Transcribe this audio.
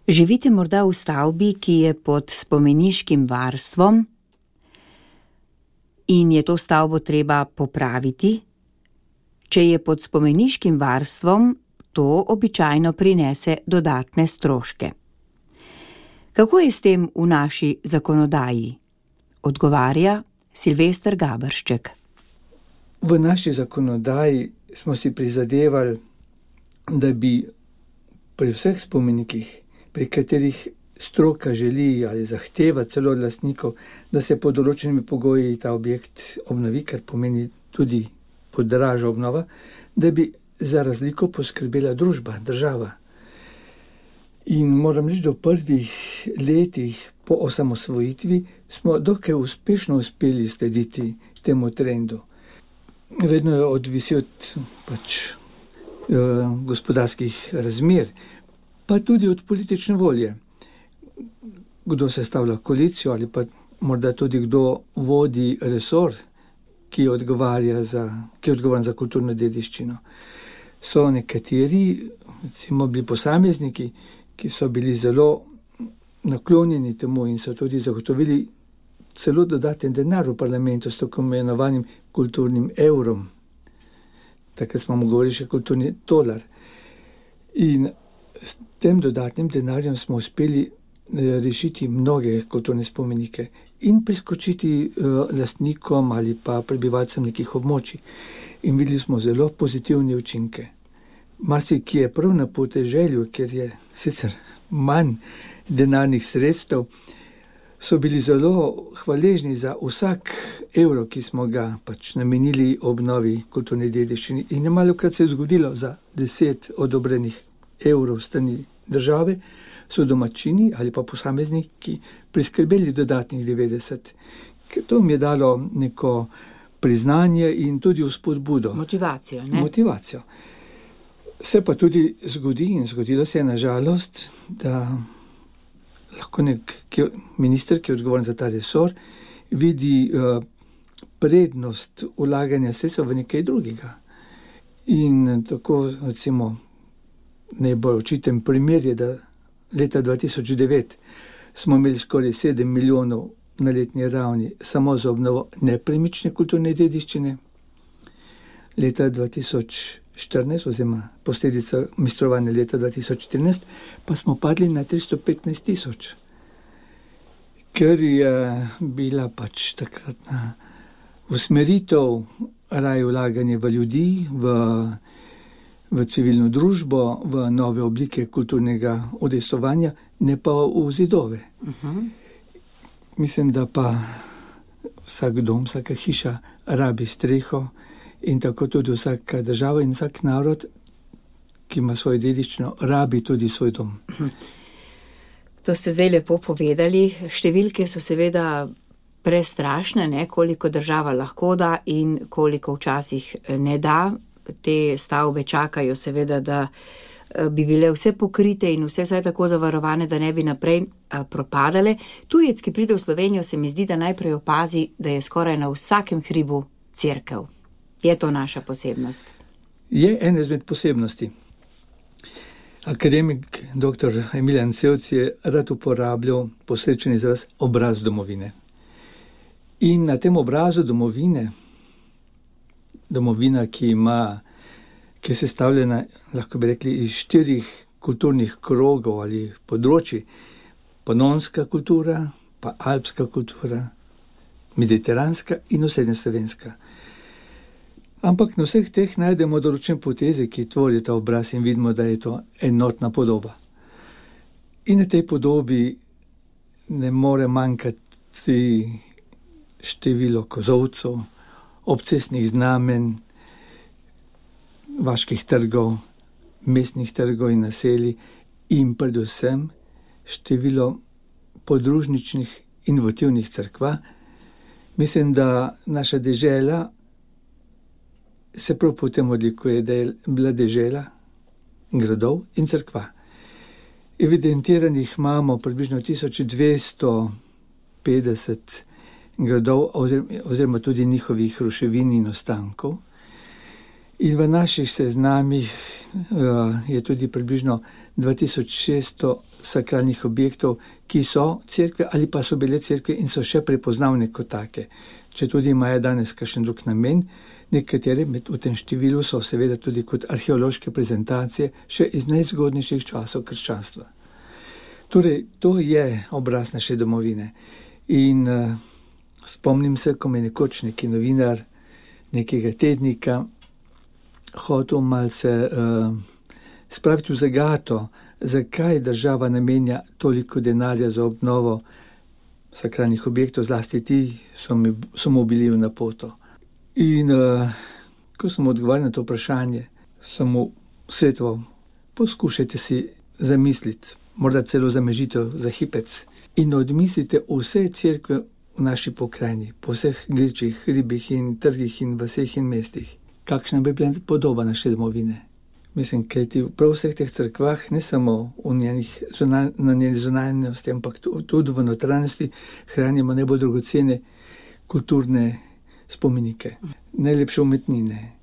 Živite morda v stavbi, ki je pod spomeniškim varstvom in je to stavbo treba popraviti? Če je pod spomeniškim varstvom, to običajno prinese dodatne stroške. Kako je s tem v naši zakonodaji? Odgovarja Silvester Gabršček. V naši zakonodaji smo si prizadevali, da bi pri vseh spomenikih, pri katerih stroka želi ali zahteva celo od lastnikov, da se pod določenimi pogoji ta objekt obnovi, kar pomeni tudi podraža obnova, da bi za razliko poskrbela družba, država. In moram reči, da v prvih letih po osamosvojitvi smo dokaj uspešno uspeli slediti temu trendu. Vedno je odvisi od gospodarskih razmer, pa tudi od politične volje. Kdo sestavlja koalicijo ali pa morda tudi kdo vodi resor, ki je odgovoren za kulturno dediščino. So nekateri, recimo bili posamezniki, ki so bili zelo naklonjeni temu in so tudi zagotovili celo dodaten denar v parlamentu s tako imenovanim kulturnim evrom. Takrat smo mu govorili še kulturni dolar. In s tem dodatnim denarjem smo uspeli rešiti mnoge kulturne spomenike in priskočiti lastnikom ali pa prebivalcem nekih območij. In videli smo zelo pozitivne učinke. Marsikje prav na podeželju, kjer je sicer manj denarnih sredstev, so bili zelo hvaležni za vsak evro, ki smo ga namenili obnovi kulturne dediščine. In nemalokrat se je zgodilo za 10 odobrenih evrov strani države, so domačini ali pa posamezniki priskrbeli dodatnih 90. Ker to mi je dalo neko priznanje in tudi vzpodbudo. Motivacijo, ne? Motivacijo. Se pa tudi zgodi in zgodilo se je na žalost, da lahko minister, ki je odgovoren za ta resor, vidi prednost vlaganja sredstev v nekaj drugega. In tako, recimo, najbolj očiten primer je, da leta 2009 smo imeli skoraj 7 milijonov na letni ravni samo za obnovo nepremične kulturne dediščine. Leta 2014, oziroma posledica ministrovanja leta 2014, pa smo padli na 315 tisoč. Ker je bila takratna usmeritev raje vlaganje v ljudi, v civilno družbo, v nove oblike kulturnega udejstvovanja, ne pa v zidove. Mislim, da pa vsak dom, vsaka hiša rabi streho in tako tudi vsaka država in vsak narod, ki ima svojo dediščino, rabi tudi svoj dom. To ste zdaj lepo povedali. Številke so seveda prestrašne, ne? Koliko država lahko da in koliko včasih ne da. Te stavbe čakajo seveda, da bi bile vse pokrite in vse tako zavarovane, da ne bi naprej propadale. Tujec, ki pride v Slovenijo, se mi zdi, da najprej opazi, da je skoraj na vsakem hribu cerkev. Je to naša posebnost? Je ena izmed posebnosti. Akademik dr. Emilijan Sevc je rad uporabljal posrečen izraz obraz domovine. In na tem obrazu domovina, ki je sestavljena, lahko bi rekli, iz 4 kulturnih krogov ali področji: panonska kultura, pa alpska kultura, mediteranska in osrednjeslovenska. Ampak na vseh teh najdemo določene poteze, ki tvorijo ta obraz in vidimo, da je to enotna podoba. In na tej podobi ne more manjkati število kozolcev, obcestnih znamen, vaških trgov, mestnih trgov in naselij in predvsem število podružničnih inovativnih cerkva. Mislim, da naša dežela se prav po tem odlikuje, da je bila dežela gradov in cerkva. Evidentiranih imamo približno 1250 gradov oziroma tudi njihovih ruševin in ostankov. In v naših seznamih je tudi približno 2600 sakralnih objektov, ki so cerkve ali pa so bile cerkve in so še prepoznavne kot take. Če tudi imajo danes kakšen drug namen, nekatere v tem številu so seveda tudi kot arheološke prezentacije še iz najzgodnejših časov krščanstva. Torej, to je obraz naše domovine. In spomnim se, ko me nekoč neki novinar nekega tednika hotel malce spraviti v zagato, zakaj država namenja toliko denarja za obnovo sakralnih objektov, zlasti ti so mu bili v napoto. In ko sem odgovarjal na to vprašanje, sem mu svetoval, poskušajte si zamisliti, morda celo za mežitev, za hipec, in odmislite vse cerkve v naši pokrajini, po vseh gričih, hribih in trgih in vaseh in mestih. Kakšna bi bila podoba naše domovine? Mislim, kajti prav vseh teh cerkvah, ne samo na njeni zunanjosti, ampak tudi v notranjosti hranimo najbolj dragocene kulturne spomenike, najlepše umetnine.